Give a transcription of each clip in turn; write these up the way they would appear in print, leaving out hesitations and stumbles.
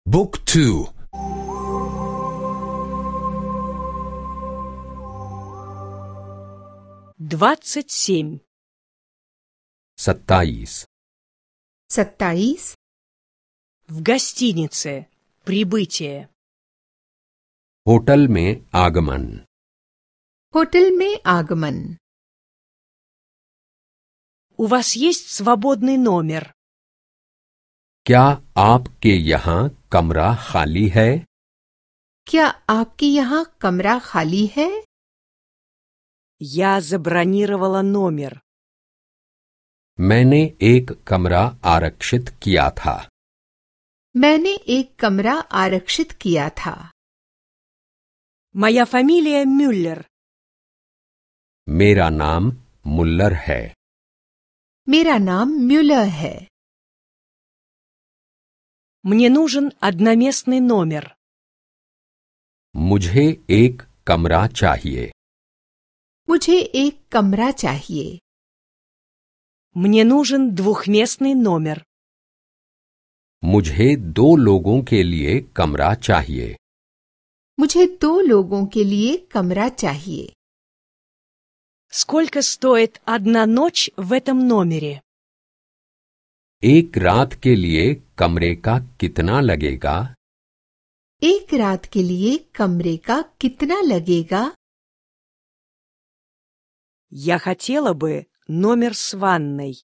Book 2. 27. 27. 27. В гостинице. Прибытие. होटल में आगमन. होटल में आगमन. У вас есть свободный номер? क्या आपके यहाँ कमरा खाली है? क्या आपके यहाँ कमरा खाली है? Я забронировала номер. मैंने एक कमरा आरक्षित किया था. मैंने एक कमरा आरक्षित किया था. Моя фамилия Мюллер. मेरा नाम मुल्लर है. मेरा नाम म्यूलर है. Мне нужен одноместный номер. मुझे एक कमरा चाहिए. मुझे एक कमरा चाहिए. Мне нужен двухместный номер. मुझे 2 लोगों के लिए कमरा चाहिए. मुझे 2 लोगों के लिए कमरा चाहिए. Сколько стоит одна ночь в этом номере? एक रात के लिए कमरे का कितना लगेगा? एक रात के लिए कमरे का कितना लगेगा? Я хотела бы номер с ванной.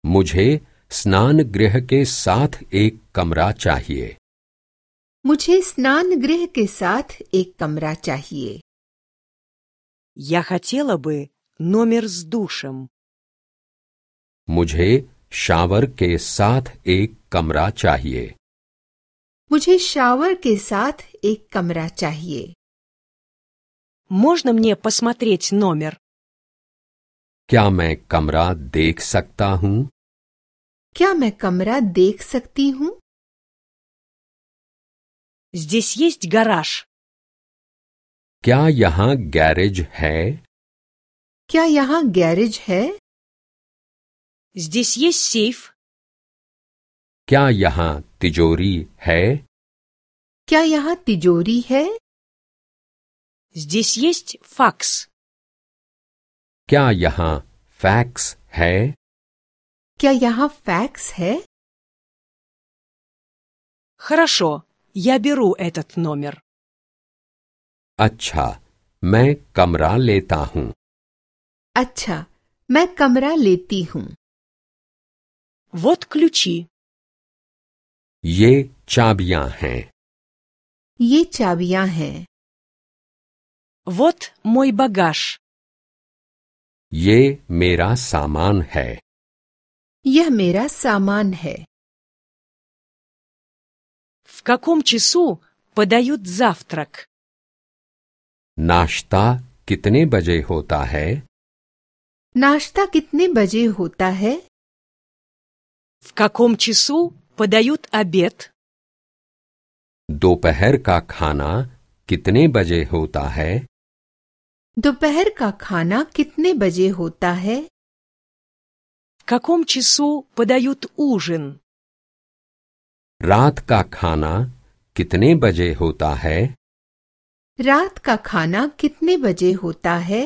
मुझे स्नान गृह के साथ एक कमरा चाहिए. मुझे स्नान गृह के साथ एक कमरा चाहिए. Я хотела бы номер с душем. मुझे शावर के साथ एक कमरा चाहिए. मुझे शावर के साथ एक कमरा चाहिए. Можно мне посмотреть номер? क्या मैं कमरा देख सकता हूँ? क्या मैं कमरा देख सकती हूँ? Здесь есть гараж. क्या यहाँ गैरेज है? क्या यहाँ गैरेज है? Здесь есть сейф. क्या यहाँ तिजोरी है? क्या यहाँ तिजोरी है? Здесь есть факс. क्या यहाँ फैक्स है? क्या यहाँ फैक्स है? Хорошо, я беру этот номер. अच्छा, मैं कमरा लेता हूँ. अच्छा, मैं कमरा लेती हूँ. Вот ключи. ये चाबियाँ हैं. ये चाबियाँ हैं. Вот мой багаж. ये मेरा सामान है. यह मेरा सामान है. В каком часу подают завтрак? नाश्ता कितने बजे होता है? नाश्ता कितने बजे होता है? В каком часу подают обед? दोपहर का खाना कितने बजे होता है? दोपहर का खाना कितने बजे होता है? В каком часу подают ужин? रात का खाना कितने बजे होता है? रात का खाना कितने बजे होता है?